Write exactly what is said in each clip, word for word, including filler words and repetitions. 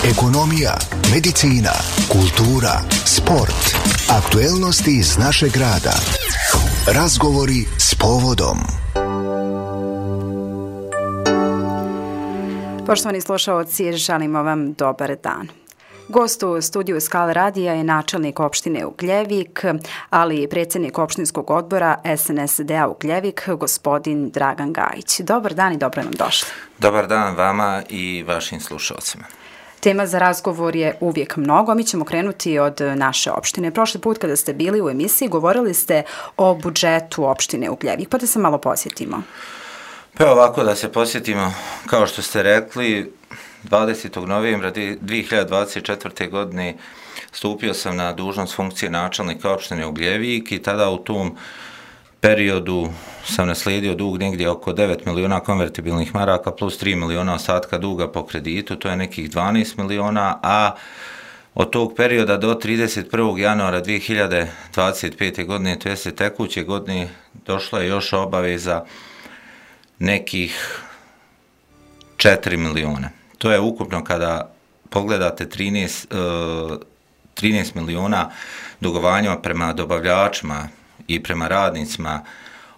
ekonomija, medicina, kultura, sport, aktuelnosti iz našeg grada. Razgovori s povodom. Poštovani slušaoci, želimo vam dobar dan. Gost u studiju Skal radija je načelnik opštine Ugljevik, ali i predsjednik opštinskog odbora S N S D-a Ugljevik, gospodin Dragan Gajić. Dobar dan i dobro nam došli. Dobar dan vama i vašim slušalcima. Tema za razgovor je uvijek mnogo. Mi ćemo krenuti od naše opštine. Prošli put kada ste bili u emisiji govorili ste o budžetu opštine Ugljevik, pa da se malo posjetimo. Pa ovako da se posjetimo, kao što ste rekli, dvadesetog novembra dvije hiljade dvadeset četvrte. godine stupio sam na dužnost funkcije načelnika opštine Ugljevik i tada u tom periodu sam naslijedio dug negdje oko devet miliona konvertibilnih maraka plus tri miliona ostatka duga po kreditu, to je nekih dvanaest miliona, a od tog perioda do trideset prvog januara dvije hiljade dvadeset pete. godine, to jeste tekuće godine, došla je još obaveza nekih četiri miliona. To je ukupno kada pogledate trinaest, trinaest miliona dugovanja prema dobavljačima i prema radnicima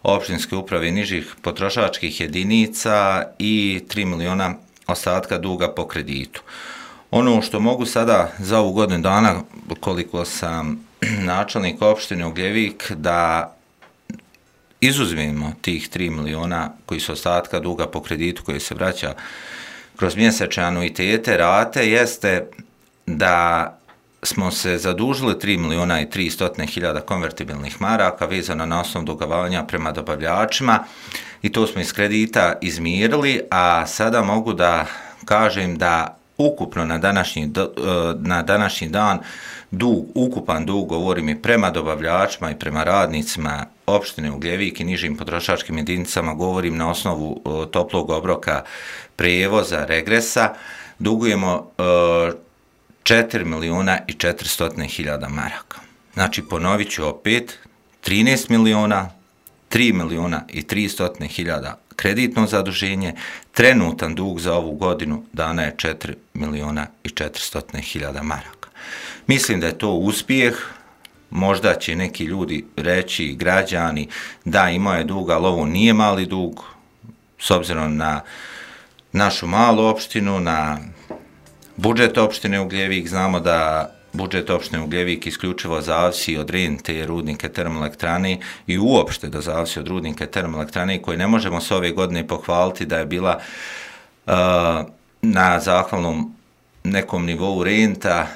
opštinske uprave i nižih potrošačkih jedinica i tri miliona ostatka duga po kreditu. Ono što mogu sada za ovu godinu dana, koliko sam načelnik opštine Ugljevik, da izuzmemo tih tri miliona koji su ostatka duga po kreditu koji se vraća kroz mjesečne anuitete, rate, jeste da smo se zadužili tri miliona i tristo hiljada konvertibilnih maraka vezano na osnovu dugovanja prema dobavljačima i to smo iz kredita izmirili, a sada mogu da kažem da ukupno na današnji, na današnji dan dug, ukupan dug, govorim i prema dobavljačima i prema radnicima opštine Ugljevik i nižim potrošačkim jedinicama, govorim na osnovu toplog obroka prijevoza, regresa, dugujemo četiri miliona i četiristo hiljada maraka. Znači, ponovit ću opet, trinaest miliona, tri miliona i tristo hiljada kreditno zaduženje, trenutan dug za ovu godinu dana je četiri miliona i četiristo hiljada maraka. Mislim da je to uspjeh, možda će neki ljudi reći, građani, da imao je dug, ali ovo nije mali dug, s obzirom na našu malu opštinu, na budžet opštine Ugljevik. Znamo da budžet opštine Ugljevik isključivo zavisi od rente rudnike termoelektrane i uopšte da zavisi od rudnike termoelektrane koji ne možemo se ove godine pohvaliti da je bila uh, na zahvalnom nekom nivou renta,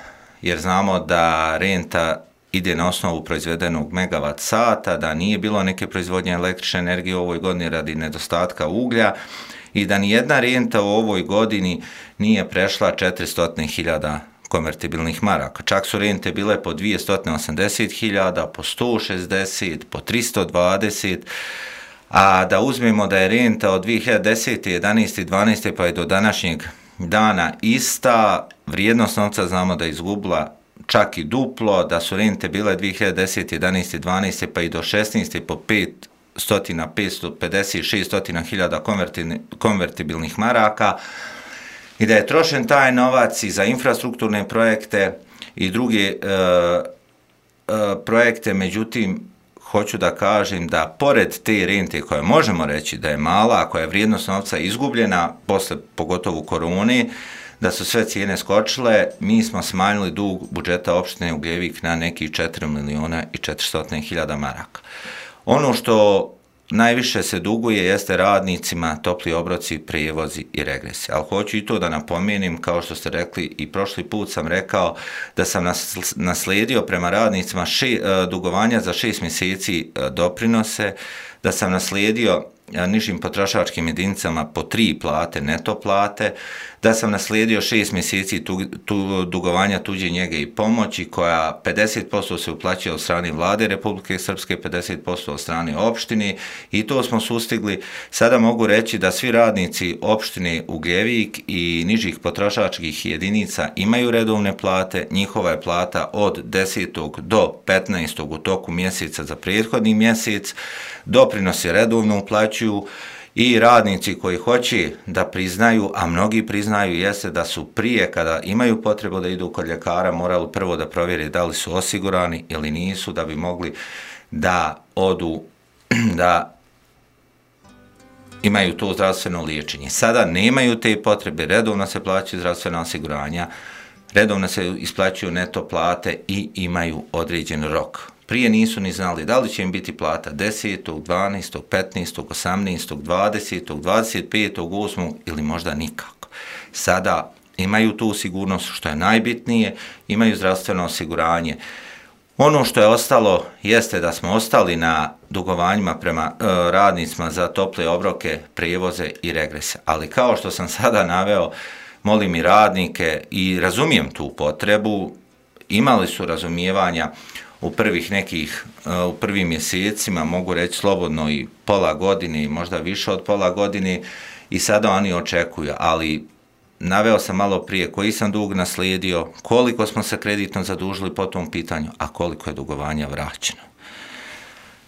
jer znamo da renta ide na osnovu proizvedenog megavat sata, da nije bilo neke proizvodnje električne energije u ovoj godini radi nedostatka uglja i da nijedna renta u ovoj godini nije prešla četiristo hiljada konvertibilnih maraka. Čak su rente bile po dvjesto osamdeset hiljada, po sto šezdeset, po tristo dvadeset, a da uzmemo da je renta od dvije hiljade desete, jedanaeste i dvanaeste pa je do današnjeg dana ista, vrijednost novca znamo da je izgubila čak i duplo, da su rente bile dvije hiljade desete, jedanaeste i dvanaeste pa i do šesnaeste po pet stotina, petsto pedeset, šesto hiljada konvertibilnih maraka i da je trošen taj novac i za infrastrukturne projekte i druge e, e, projekte. Međutim, hoću da kažem da pored te rente koje možemo reći da je mala, a koja je vrijednost novca izgubljena posle pogotovo korone, da su sve cijene skočile, mi smo smanjili dug budžeta opštine Ugljevik na nekih četiri miliona i četiristo hiljada maraka. Ono što najviše se duguje jeste radnicima, topli obroci, prijevozi i regresi. Ali hoću i to da napomenem, kao što ste rekli i prošli put sam rekao da sam naslijedio prema radnicima še, dugovanja za šest mjeseci doprinose, da sam naslijedio nižim potrošačkim jedinicama po tri plate, neto plate, da sam naslijedio šest mjeseci tu, tu, dugovanja tuđe njege i pomoći koja pedeset posto se uplaćuje od strane vlade Republike Srpske, pedeset posto od strane opštine i to smo sustigli. Sada mogu reći da svi radnici opštine Ugljevik i nižih potrošačkih jedinica imaju redovne plate, njihova je plata od desetog do petnaestog u toku mjeseca za prethodni mjesec, doprinosi redovno uplaćuju i radnici koji hoće da priznaju, a mnogi priznaju, jeste da su prije kada imaju potrebu da idu kod ljekara morali prvo da provjeri da li su osigurani ili nisu, da bi mogli da odu, da imaju to zdravstveno liječenje. Sada nemaju te potrebe, redovno se plaćaju zdravstvena osiguranja, redovno se isplaćuju neto plate i imaju određen rok. Prije nisu ni znali da li će im biti plata desetog, dvanaestog, petnaestog, osamnaestog, dvadesetog, dvadeset petog, osmog ili možda nikako. Sada imaju tu sigurnost, što je najbitnije, imaju zdravstveno osiguranje. Ono što je ostalo jeste da smo ostali na dugovanjima prema e, radnicima za tople obroke, prijevoze i regrese. Ali kao što sam sada naveo, molim i radnike i razumijem tu potrebu, imali su razumijevanja u prvih nekih, u prvim mjesecima, mogu reći slobodno i pola godine i možda više od pola godine i sada oni očekuju, ali naveo sam malo prije koji sam dug naslijedio, koliko smo se kreditno zadužili po tom pitanju, a koliko je dugovanja vraćeno.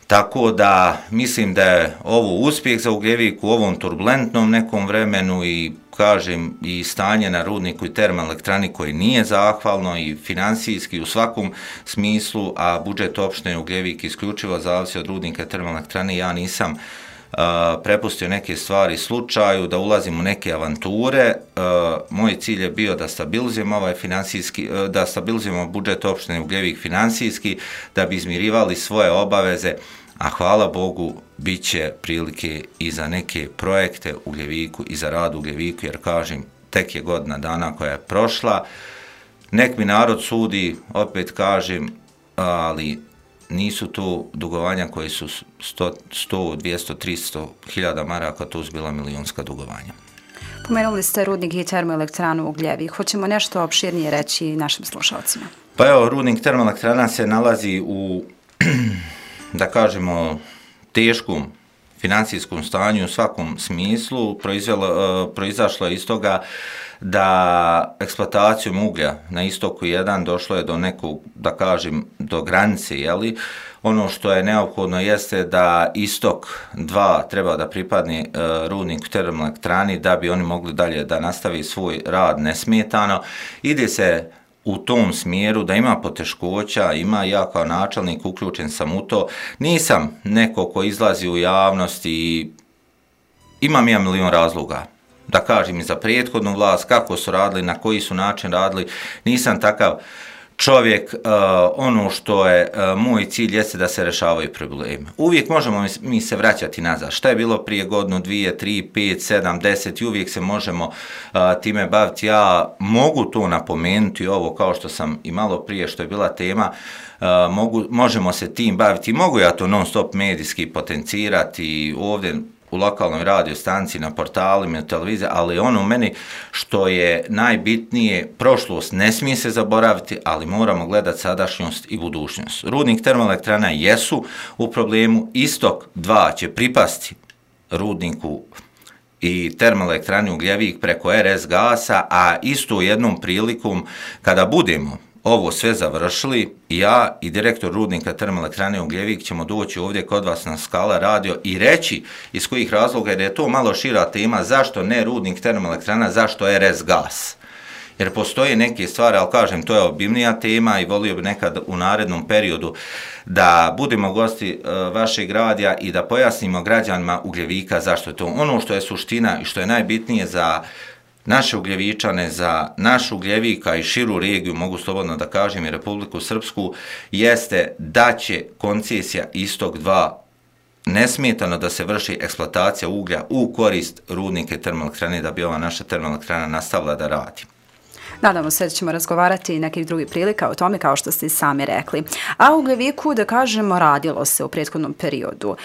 Tako da mislim da je ovo uspjeh za Ugljevik u ovom turbulentnom nekom vremenu i kažem i stanje na rudniku i termoelektrani koji nije zahvalno i financijski u svakom smislu, a budžet opštine Ugljevik isključivo zavisi od rudnika i termoelektrane. Ja nisam uh, prepustio neke stvari slučaju, da ulazim u neke avanture. Uh, moj cilj je bio da stabilizujemo ovaj financijski, uh, da stabilizujemo budžet opštine Ugljevik financijski, da bi izmirivali svoje obaveze, a hvala Bogu bit će prilike i za neke projekte u Ugljeviku i za rad u Ugljeviku, jer kažem, tek je godina dana koja je prošla. Nek mi narod sudi, opet kažem, ali nisu to dugovanja koji su sto, dvjesto, tristo hiljada maraka, to su bila milijunska dugovanja. Pomenuli ste rudnik i termoelektranu u Ugljevik. Hoćemo nešto opširnije reći našim slušalcima? Pa evo, rudnik termoelektrana se nalazi u, da kažemo, teškom financijskom stanju u svakom smislu. Proizvelo, proizašlo je iz toga da eksploatacijom uglja na istoku jedan došlo je do nekog, da kažem, do granice, jeli? Ono što je neophodno jeste da istok dva treba da pripadne uh, rudniku termoelektrani da bi oni mogli dalje da nastavi svoj rad nesmetano. Ide se u tom smjeru da ima poteškoća, ima ja kao načelnik uključen sam u to. Nisam neko ko izlazi u javnost i imam ja milion razloga. Da kažem i za prethodnu vlast, kako su radili, na koji su način radili, nisam takav čovjek. Uh, ono što je uh, moj cilj jeste da se rešavaju problemi. Uvijek možemo mi, mi se vraćati nazad. Šta je bilo prije godinu, dvije, tri, pet, sedam, deset i uvijek se možemo uh, time baviti. Ja mogu to napomenuti, ovo kao što sam i malo prije što je bila tema, uh, mogu, možemo se tim baviti. Mogu ja to non stop medijski potencirati ovdje u lokalnoj radio stanciji, na portalima, na televiziji, ali ono meni što je najbitnije, prošlost ne smije se zaboraviti, ali moramo gledati sadašnjost i budućnost. Rudnik termoelektrana jesu u problemu, istok dva će pripasti rudniku i termoelektrani Ugljevik preko er es gasa, a isto jednom prilikom kada budemo ovo sve završili, ja i direktor rudnika termoelektrane Ugljevik ćemo doći ovdje kod vas na Skala radio i reći iz kojih razloga, jer je to malo šira tema, zašto ne rudnik termoelektrana, zašto er es gas. Jer postoje neke stvari, ali kažem, to je obimnija tema i volio bi nekad u narednom periodu da budemo gosti uh, vašeg radija i da pojasnimo građanima Ugljevika zašto je to. Ono što je suština i što je najbitnije za naše Ugljevičane, za naš Ugljevika i širu regiju, mogu slobodno da kažem i Republiku Srpsku, jeste da će koncesija istok dva nesmetano da se vrši eksploatacija uglja u korist rudnike termoelektrane, da bi ova naša termoelektrana nastavila da radi. Nadamo se da ćemo razgovarati i nekih drugih prilika o tome, kao što ste i sami rekli. A u Ugljeviku, da kažemo, radilo se u prethodnom periodu.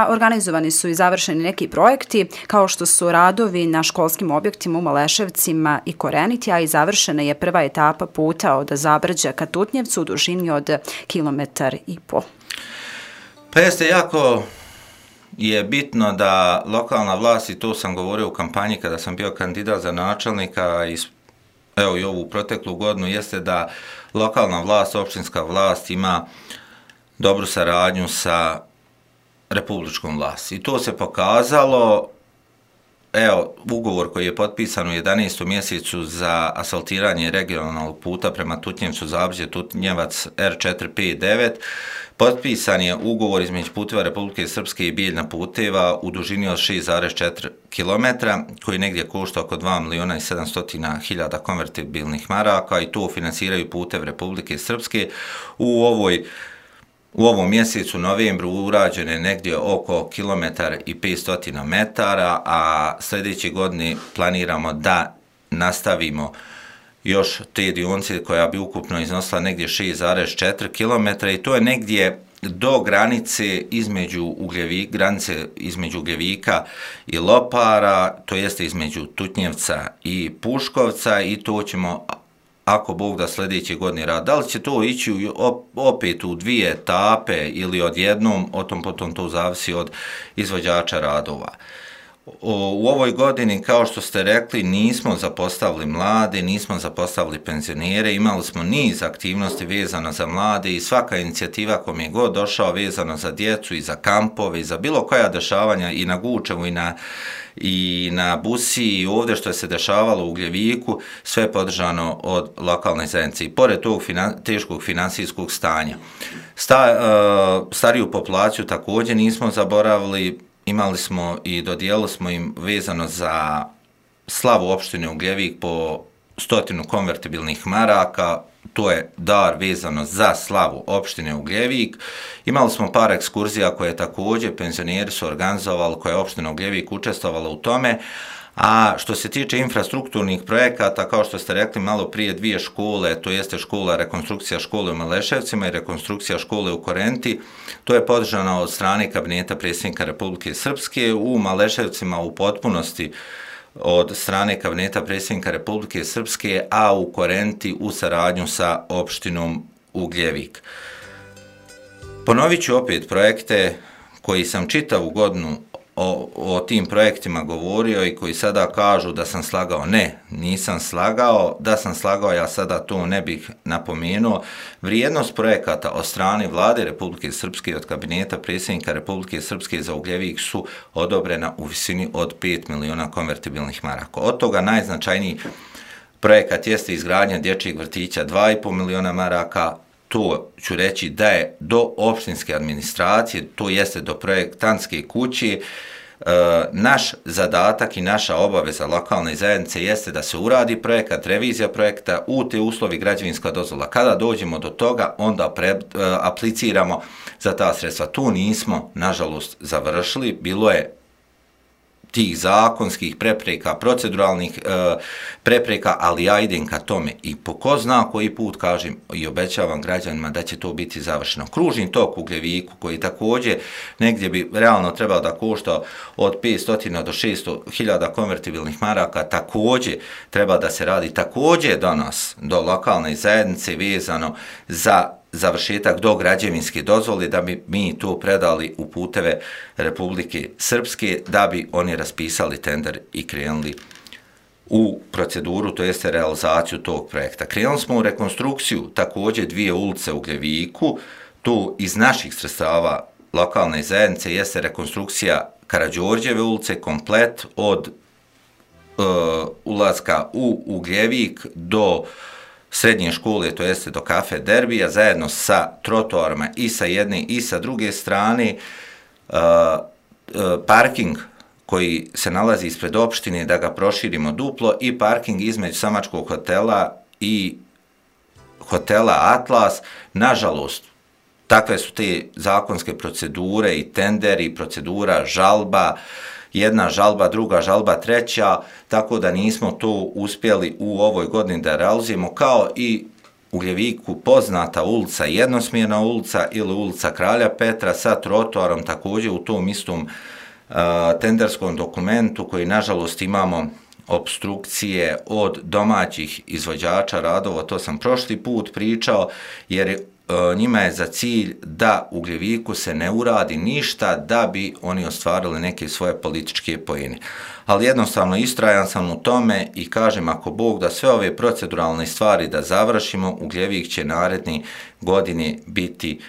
Organizovani su i završeni neki projekti, kao što su radovi na školskim objektima u Maleševcima i Koreniti, a i završena je prva etapa puta od Zabrđa ka Tutnjevcu u dužini od kilometar i po. Pa jeste jako je bitno da lokalna vlast, i to sam govorio u kampanji kada sam bio kandidat za načelnika i evo i ovu proteklu godinu, jeste da lokalna vlast, opštinska vlast ima dobru saradnju sa republičkom vlasti. I to se pokazalo, evo, ugovor koji je potpisan u jedanaestom mjesecu za asfaltiranje regionalnog puta prema Tutnjevcu, Zabrđe, Tutnjevac R četiri pet devet, potpisan je ugovor između Puteva Republike Srpske i Bijeljna puteva u dužini od šest zarez četiri kilometra, koji negdje košta oko dva miliona i sedamsto hiljada konvertibilnih maraka i to finansiraju Putev Republike Srpske. U ovoj U ovom mjesecu, novembru, urađeno je negdje oko kilometar i petsto metara, a sljedeće godine planiramo da nastavimo još te dionice koja bi ukupno iznosila negdje šest zarez četiri kilometra i to je negdje do granice između Ugljevika, granice između Ugljevika i Lopara, to jeste između Tutnjevca i Puškovca i to ćemo, ako Bog da, sljedeće godine rad. Da li će to ići opet u dvije etape ili odjednom, o tom potom to zavisi od izvođača radova. U ovoj godini, kao što ste rekli, nismo zapostavili mlade, nismo zapostavili penzionere, imali smo niz aktivnosti vezano za mlade i svaka inicijativa kom je god došao vezano za djecu i za kampove i za bilo koja dešavanja i na Gučevu i na i na Busiji i ovdje što je se dešavalo u Ugljeviku, sve je podržano od lokalne zajednice. I pored tog finan, teškog financijskog stanja. Sta, uh, stariju populaciju također nismo zaboravili, imali smo i dodijelili smo im vezano za slavu opštine Ugljevik po stotinu konvertibilnih maraka, to je dar vezano za slavu opštine Ugljevik. Imali smo par ekskurzija koje također penzioneri su organizovali, koje je opština Ugljevik učestvovala u tome, a što se tiče infrastrukturnih projekata, kao što ste rekli malo prije, dvije škole, to jeste škola, rekonstrukcija škole u Maleševcima i rekonstrukcija škole u Korenti, to je podržano od strane kabineta predsjednika Republike Srpske, u Maleševcima u potpunosti od strane kabineta predsjednika Republike Srpske, a u Korenti u saradnju sa opštinom Ugljevik. Ponovit ću opet projekte koji sam čitavu godinu o, o tim projektima govorio i koji sada kažu da sam slagao. Ne, nisam slagao. Da sam slagao, ja sada to ne bih napomenuo. Vrijednost projekata od strane vlade Republike Srpske i od kabineta predsjednika Republike Srpske za Ugljevik su odobrena u visini od pet miliona konvertibilnih maraka. Od toga najznačajniji projekat jeste izgradnja dječjeg vrtića dva i pol miliona maraka. To ću reći da je do opštinske administracije, to jeste do projektantske kuće. E, naš zadatak i naša obaveza lokalne zajednice jeste da se uradi projekat, revizija projekta, u te uslovi građevinska dozvola. Kada dođemo do toga, onda pre, e, apliciramo za ta sredstva. Tu nismo, nažalost, završili. Bilo je tih zakonskih prepreka, proceduralnih e, prepreka, ali ja idem ka tome i po ko zna koji put kažem i obećavam građanima da će to biti završeno. Kružni tok u Ugljeviku, koji također negdje bi realno trebao da košta od petsto do šesto hiljada konvertibilnih maraka, također treba da se radi, također do nas, do lokalne zajednice vezano za završetak do građevinske dozvole, da bi mi to predali u Puteve Republike Srpske, da bi oni raspisali tender i krenuli u proceduru, to jeste realizaciju tog projekta. Krenuli smo u rekonstrukciju također dvije ulice u Ugljeviku, tu iz naših sredstava lokalne zajednice jeste rekonstrukcija Karađorđeve ulice, komplet od uh, ulaska u Ugljevik do srednje škole, to jeste do kafe Derbija, zajedno sa trotoarima i sa jedne i sa druge strane. Uh, uh, parking koji se nalazi ispred opštine, da ga proširimo duplo, i parking između Samačkog hotela i hotela Atlas. Nažalost, takve su te zakonske procedure i tenderi, procedura, žalba, jedna žalba, druga žalba, treća, tako da nismo to uspjeli u ovoj godini da realizujemo, kao i u Ugljeviku poznata ulica, jednosmjerna ulica ili ulica Kralja Petra sa trotoarom, također u tom istom uh, tenderskom dokumentu koji nažalost imamo obstrukcije od domaćih izvođača radova, to sam prošli put pričao, jer njima je za cilj da u Ugljeviku se ne uradi ništa da bi oni ostvarili neke svoje političke poene. Ali jednostavno istrajan sam u tome i kažem, ako Bog da sve ove proceduralne stvari da završimo, Ugljevik će naredni godine biti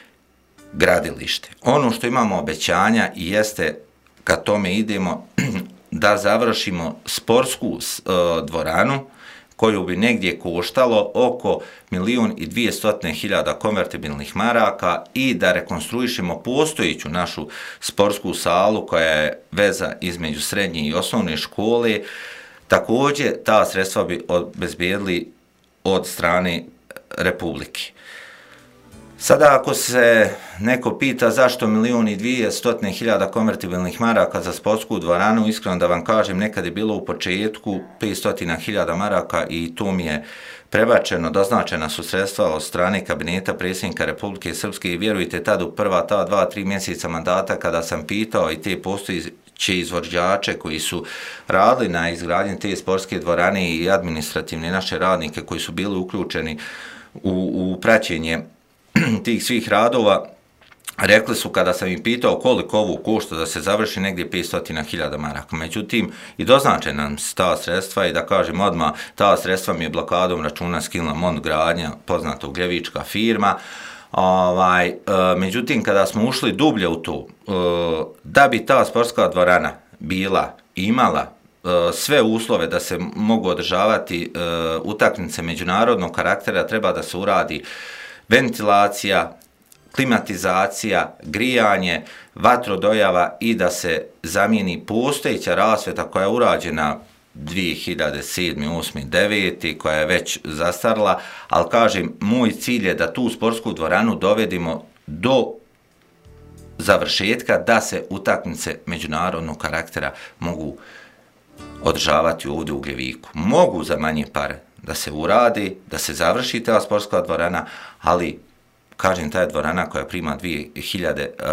gradilište. Ono što imamo obećanja i jeste kad tome idemo da završimo sportsku uh, dvoranu koju bi negdje koštalo oko milijun i dvijestotine hiljada konvertibilnih maraka i da rekonstruišemo postojiću našu sportsku salu koja je veza između srednje i osnovne škole. Također ta sredstva bi obezbijedili od strane Republike. Sada ako se neko pita zašto milijun i dvijestotine hiljada konvertibilnih maraka za sportsku dvoranu, iskreno da vam kažem, nekad je bilo u početku petsto hiljada maraka i to mi je prebačeno, doznačena su sredstva od strane kabineta predsjednika Republike Srpske i vjerujte tad u prva ta dva, tri mjeseca mandata kada sam pitao i te postojeće izvođače koji su radili na izgradnji te sportske dvorane i administrativne naše radnike koji su bili uključeni u, u praćenje tih svih radova, rekli su kada sam im pitao koliko ovo košta da se završi negdje petsto hiljada maraka. Međutim, i doznačena nam ta sredstva i da kažem odmah, ta sredstva mi je blokadom računa skinula Mont Gradnja, poznata ugljevička firma. Ovaj, e, međutim, kada smo ušli dublje u to, e, da bi ta sportska dvorana bila, imala e, sve uslove da se mogu održavati e, utakmice međunarodnog karaktera, treba da se uradi ventilacija, klimatizacija, grijanje, vatrodojava i da se zamijeni postojeća rasvjeta koja je urađena dvije hiljade sedme, osme, devete koja je već zastarla, ali kažem, moj cilj je da tu sportsku dvoranu dovedimo do završetka da se utakmice međunarodnog karaktera mogu održavati ovdje u Gljeviku. Mogu za manje pare da se uradi, da se završi ta sportska dvorana, ali kažem, ta je dvorana koja prima dvije hiljade uh,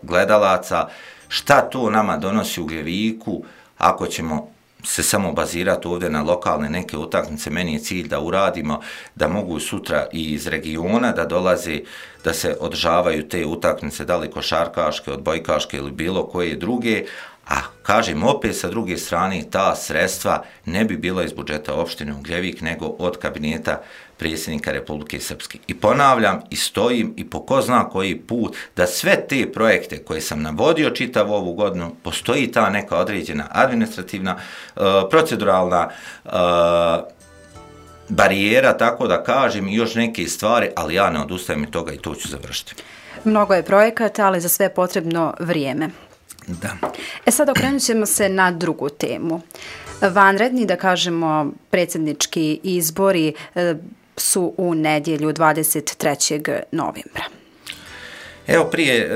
gledalaca. Šta to nama donosi u Gljeviku ako ćemo se samo bazirati ovdje na lokalne neke utakmice? Meni je cilj da uradimo, da mogu sutra i iz regiona da dolaze, da se održavaju te utakmice, da li košarkaške, odbojkaške ili bilo koje druge. A kažem, opet sa druge strane, ta sredstva ne bi bila iz budžeta opštine Ugljevik, nego od kabineta predsjednika Republike Srpske. I ponavljam i stojim i po ko zna koji put da sve te projekte koje sam navodio čitav ovu godinu, postoji ta neka određena administrativna, uh, proceduralna uh, barijera, tako da kažem, i još neke stvari, ali ja ne odustajem od toga i to ću završiti. Mnogo je projekata, ali za sve je potrebno vrijeme. Da. E sad okrenut ćemo se na drugu temu. Vanredni, da kažemo, predsjednički izbori su u nedjelju dvadeset trećeg novembra. Evo prije, e,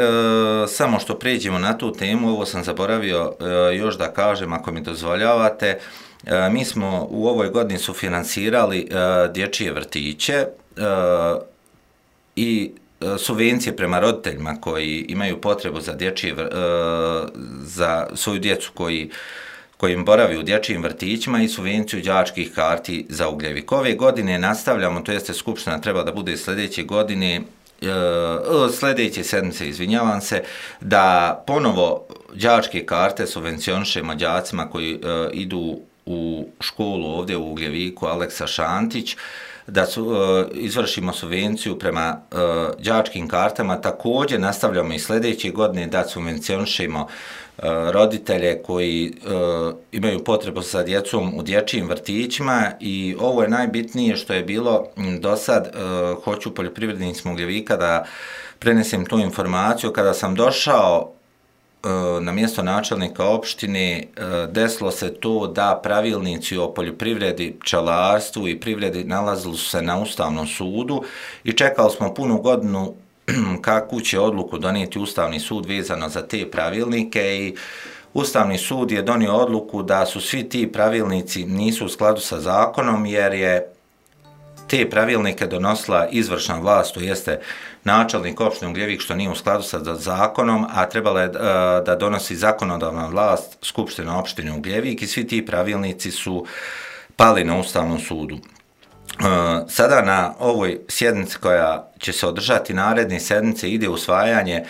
samo što pređemo na tu temu, ovo sam zaboravio e, još da kažem, ako mi dozvoljavate, e, mi smo u ovoj godini sufinansirali e, dječje vrtiće e, i subvencije prema roditeljima koji imaju potrebu za dječje, za svoju djecu koji, koji im boravi u dječjim vrtićima i subvenciju đačkih karti za Ugljevik. Ove godine nastavljamo, to jeste skupština treba da bude sljedeće godine, sljedeće sedmice, izvinjavam se, da ponovo đačke karte subvencionišemo đacima koji idu u školu ovdje u Ugljeviku Aleksa Šantić, da su, uh, izvršimo subvenciju prema uh, đačkim kartama. Također nastavljamo i sljedeće godine da subvencionišemo uh, roditelje koji uh, imaju potrebu sa djecom u dječjim vrtićima i ovo je najbitnije što je bilo do sad. Uh, hoću poljoprivrednicima Ugljevika da prenesem tu informaciju. Kada sam došao na mjesto načelnika opštine, desilo se to da pravilnici o poljoprivredi, pčelarstvu i privredi nalazili su se na Ustavnom sudu i čekali smo punu godinu kakvu će odluku donijeti Ustavni sud vezano za te pravilnike i Ustavni sud je donio odluku da su svi ti pravilnici nisu u skladu sa zakonom jer je te pravilnike donosila izvršna vlast, to jeste načelnik opštine Ugljevik, što nije u skladu sa zakonom, a trebala je da donosi zakonodavna vlast Skupština opštine Ugljevik i svi ti pravilnici su pali na Ustavnom sudu. Sada na ovoj sjednici koja će se održati naredne sedmice ide usvajanje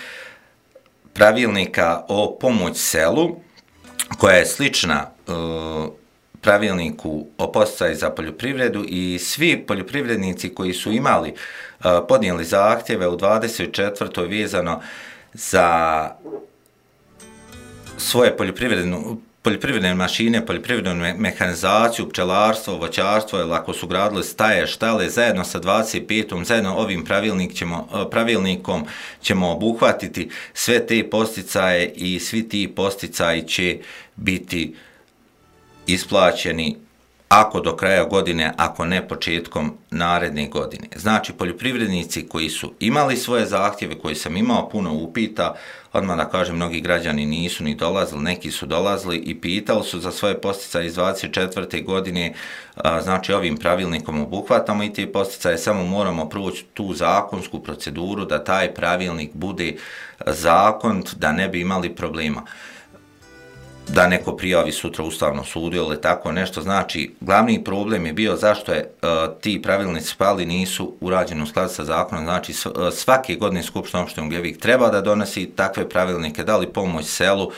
pravilnika o pomoć selu, koja je slična pravilniku o podsticaju za poljoprivredu i svi poljoprivrednici koji su imali, podnijeli zahtjeve u dvadeset četvrtoj vezano za svoje poljoprivrednu poljoprivredne mašine, poljoprivrednu mehanizaciju, pčelarstvo, voćarstvo, ili ako su gradili staje, štale, zajedno sa dvadeset petom zajedno ovim pravilnik ćemo, pravilnikom ćemo obuhvatiti sve te posticaje i svi ti posticaji će biti isplaćeni ako do kraja godine, ako ne početkom naredne godine. Znači, poljoprivrednici koji su imali svoje zahtjeve, koji sam imao puno upita, odmah da kažem, mnogi građani nisu ni dolazili, neki su dolazili i pitali su za svoje posticaje iz dvadeset četvrte godine, znači ovim pravilnikom obuhvatamo i te posticaje, samo moramo proći tu zakonsku proceduru da taj pravilnik bude zakonit, da ne bi imali problema. Da neko prijavi sutra Ustavnom sudu ili tako nešto. Znači, glavni problem je bio zašto je uh, ti pravilnici pali, nisu urađeni u skladu sa zakonom. Znači, svake godine Skupština opštine Ugljevik treba da donosi takve pravilnike, da li pomoć selu,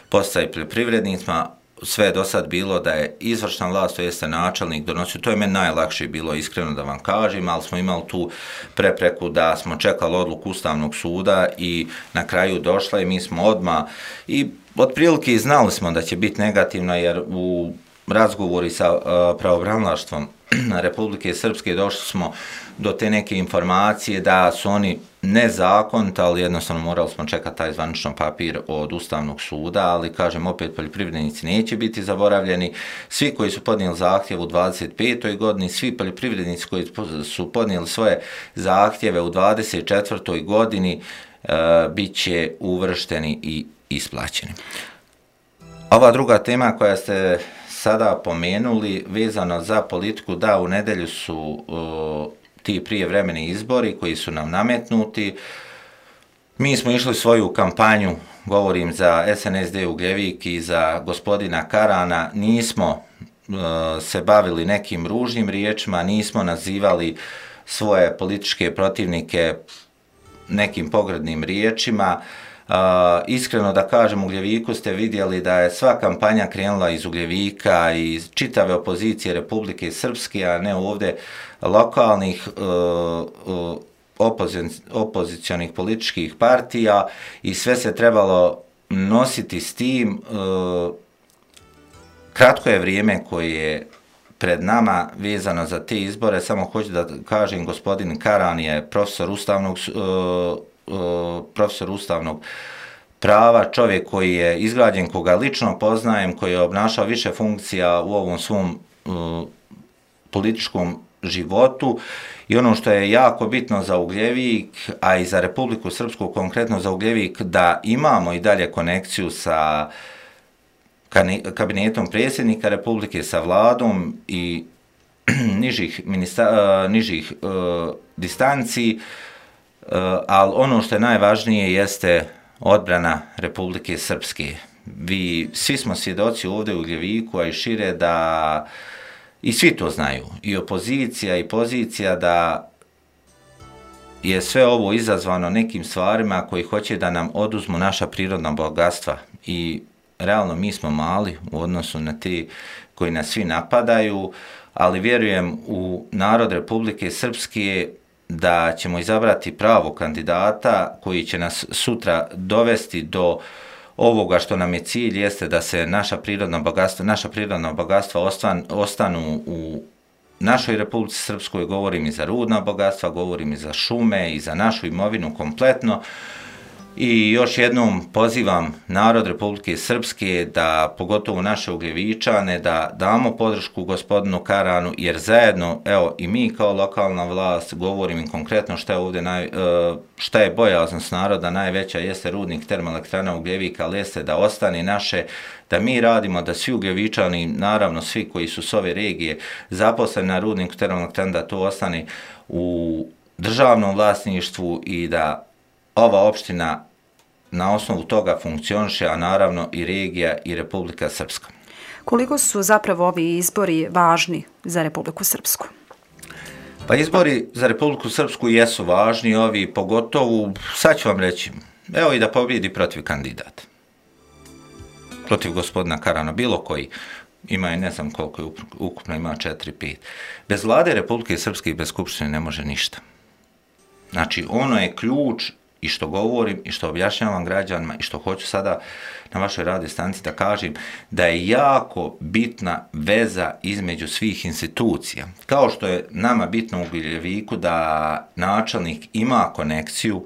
podsticaj poljoprivrednicima. Sve je do sad bilo da je izvršna vlast, to jeste načelnik, donosio. To je meni najlakše bilo, iskreno da vam kažem, ali smo imali tu prepreku da smo čekali odluku Ustavnog suda i na kraju došla i mi smo odmah i otprilike znali smo da će biti negativno, jer u razgovori sa uh, pravobranilaštvom Republike Srpske došli smo do te neke informacije da su oni nezakoniti, ali jednostavno morali smo čekati taj zvaničan papir od Ustavnog suda, ali kažem opet, poljoprivrednici neće biti zaboravljeni. Svi koji su podnijeli zahtjev u dvadeset petoj godini, svi poljoprivrednici koji su podnijeli svoje zahtjeve u dvadeset četvrtoj godini uh, bit će uvršteni i isplaćeni. Ova druga tema koja ste sada pomenuli, vezano za politiku, da u nedjelju su uh, ti prijevremeni izbori koji su nam nametnuti. Mi smo išli svoju kampanju, govorim za S N S D Ugljevik i za gospodina Karana, nismo uh, se bavili nekim ružnim riječima, nismo nazivali svoje političke protivnike nekim pogrdnim riječima. Uh, iskreno da kažem, u Ugljeviku ste vidjeli da je sva kampanja krenula iz Ugljevika i iz čitave opozicije Republike Srpske, a ne ovdje lokalnih uh, uh, opozic, opozicionih političkih partija, i sve se trebalo nositi s tim. Uh, kratko je vrijeme koje je pred nama vezano za te izbore. Samo hoću da kažem, gospodin Karan je profesor ustavnog uh, profesor ustavnog prava, čovjek koji je izgrađen, koga lično poznajem, koji je obnašao više funkcija u ovom svom uh, političkom životu, i ono što je jako bitno za Ugljevik, a i za Republiku Srpsku, konkretno za Ugljevik, da imamo i dalje konekciju sa kabinetom predsjednika Republike, sa vladom i nižih, ministra, uh, nižih uh, distanci. Uh, ali ono što je najvažnije jeste odbrana Republike Srpske. Vi, svi smo svjedoci ovdje u Ugljeviku, a i šire, da i svi to znaju, i opozicija i pozicija, da je sve ovo izazvano nekim stvarima koji hoće da nam oduzmu naša prirodna bogatstva. I realno mi smo mali u odnosu na te koji nas svi napadaju, ali vjerujem u narod Republike Srpske da ćemo izabrati pravo kandidata koji će nas sutra dovesti do ovoga što nam je cilj, jeste da se naša prirodna bogatstva, naša prirodna bogatstva ostan, ostanu u našoj Republici Srpskoj. Govorim i za rudna bogatstva, govorim i za šume i za našu imovinu kompletno. I još jednom pozivam narod Republike Srpske, da pogotovo naše Ugljevičane, da damo podršku gospodinu Karanu, jer zajedno, evo i mi kao lokalna vlast, govorim im konkretno šta je ovdje naj, šta je bojaznost naroda najveća, jeste rudnik termoelektrana Ugljevika, ali jeste da ostane naše, da mi radimo, da svi Ugljevičani, naravno svi koji su s ove regije zaposleni na rudniku termoelektrana, da to ostane u državnom vlasništvu i da ova opština na osnovu toga funkcioniše, a naravno i regija i Republika Srpska. Koliko su zapravo ovi izbori važni za Republiku Srpsku? Pa izbori za Republiku Srpsku jesu važni, ovi pogotovo, sad ću vam reći, evo i da pobjedi protiv kandidata. Protiv gospodina Karana, bilo koji. ima je ne znam koliko je ukupno, ima četiri pet. Bez vlade Republike Srpske i bez Skupštine ne može ništa. Znači, ono je ključ i što govorim i što objašnjavam građanima i što hoću sada na vašoj radio stanici da kažem, da je jako bitna veza između svih institucija. Kao što je nama bitno u Gljeviku da načelnik ima konekciju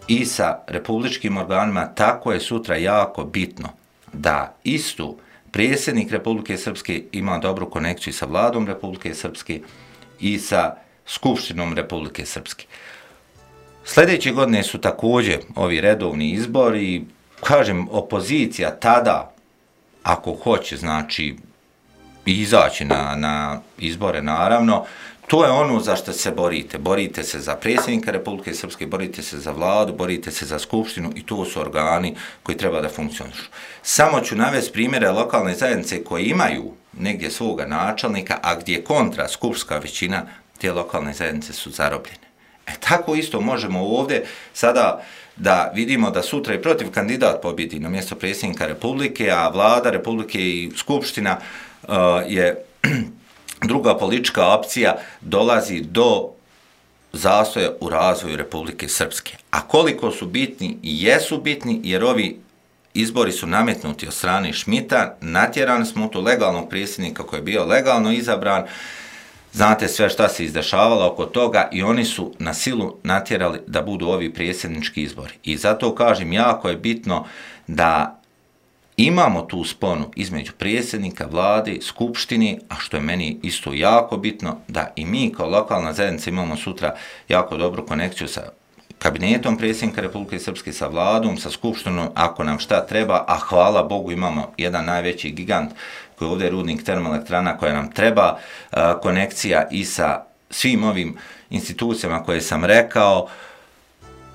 i sa republičkim organima, tako je sutra jako bitno da istu predsjednik Republike Srpske ima dobru konekciju sa vladom Republike Srpske i sa Skupštinom Republike Srpske. Sljedeće godine su također ovi redovni izbori, kažem, opozicija tada, ako hoće, znači, izaći na, na izbore, naravno, to je ono za što se borite. Borite se za predsjednika Republike Srpske, borite se za vladu, borite se za skupštinu i to su organi koji treba da funkcionišu. Samo ću navesti primjere lokalne zajednice koje imaju negdje svoga načelnika, a gdje kontra skupštinska većina, te lokalne zajednice su zarobljene. E tako isto možemo ovdje sada da vidimo da sutra i protiv kandidat pobjedi na mjesto predsjednika Republike, a vlada Republike i skupština uh, je druga politička opcija, dolazi do zastoja u razvoju Republike Srpske. A koliko su bitni i jesu bitni, jer ovi izbori su nametnuti od strane Šmita, natjerani smo u to legalnog predsjednika koji je bio legalno izabran, znate sve šta se izdešavalo oko toga i oni su na silu natjerali da budu ovi predsjednički izbori. I zato kažem, jako je bitno da imamo tu sponu između predsjednika, vlade, skupštine, a što je meni isto jako bitno, da i mi kao lokalna zajednica imamo sutra jako dobru konekciju sa kabinetom predsjednika Republike Srpske, sa vladom, sa skupštinom, ako nam šta treba, a hvala Bogu imamo jedan najveći gigant koji je ovdje rudnik termoelektrana koja nam treba, konekcija i sa svim ovim institucijama koje sam rekao.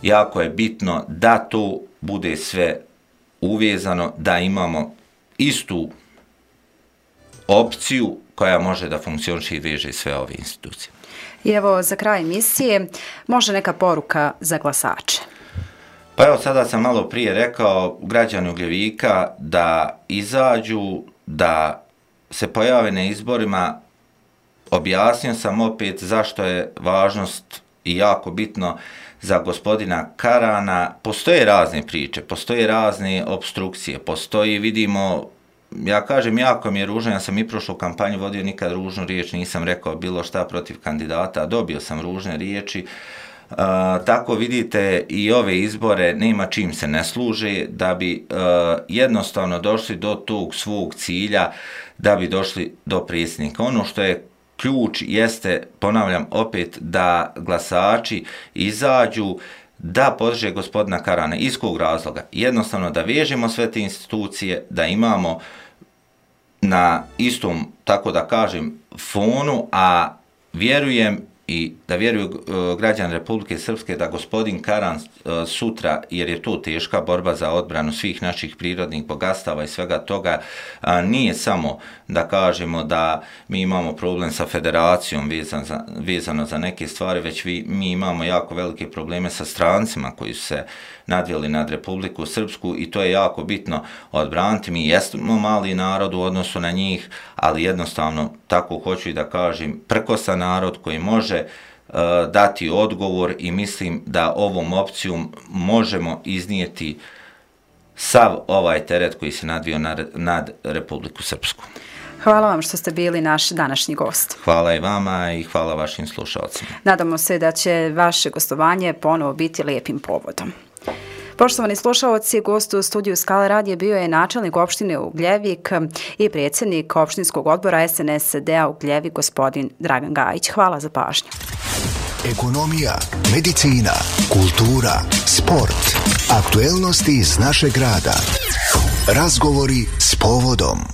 Jako je bitno da to bude sve uvezano, da imamo istu opciju koja može da funkcioniše i veže sve ove institucije. I evo, za kraj emisije, može neka poruka za glasače? Pa evo, sada sam malo prije rekao građani Ugljevika da izađu, da se pojave na izborima. Objasnio sam opet zašto je važnost i jako bitno za gospodina Karana. Postoje razne priče, postoje razne obstrukcije, postoji, vidimo, ja kažem, jako mi je ružno, ja sam i prošlu kampanju vodio, nikad ružnu riječ nisam rekao bilo šta protiv kandidata, dobio sam ružne riječi. Uh, tako vidite i ove izbore nema čim se ne služe, da bi uh, jednostavno došli do tog svog cilja, da bi došli do predsjednika. Ono što je ključ jeste, ponavljam opet, da glasači izađu, da podrže gospodina Karana. Iz kog razloga? Jednostavno da vežemo sve te institucije, da imamo na istom, tako da kažem, fonu, a vjerujem i da vjeruju uh, građani Republike Srpske da gospodin Karan uh, sutra, jer je to teška borba za odbranu svih naših prirodnih bogatstava i svega toga, uh, nije samo da kažemo da mi imamo problem sa federacijom vezan za, vezano za neke stvari, već vi, mi imamo jako velike probleme sa strancima koji su se nadvijeli nad Republiku Srpsku i to je jako bitno odbraniti. Mi jesmo mali narod u odnosu na njih, ali jednostavno, tako hoću i da kažem, prkosan narod koji može uh, dati odgovor i mislim da ovom opcijom možemo iznijeti sav ovaj teret koji se nadvio nad, nad Republiku Srpsku. Hvala vam što ste bili naš današnji gost. Hvala i vama i hvala vašim slušalcima. Nadamo se da će vaše gostovanje ponovo biti lijepim povodom. Poštovani slušalci, gost u studiju Skala radija bio je načelnik opštine Ugljevik i predsjednik opštinskog odbora S N S D-a Ugljevik, gospodin Dragan Gajić. Hvala za pažnju. Ekonomija, medicina, kultura, sport, aktuelnosti iz našeg grada. Razgovori s povodom.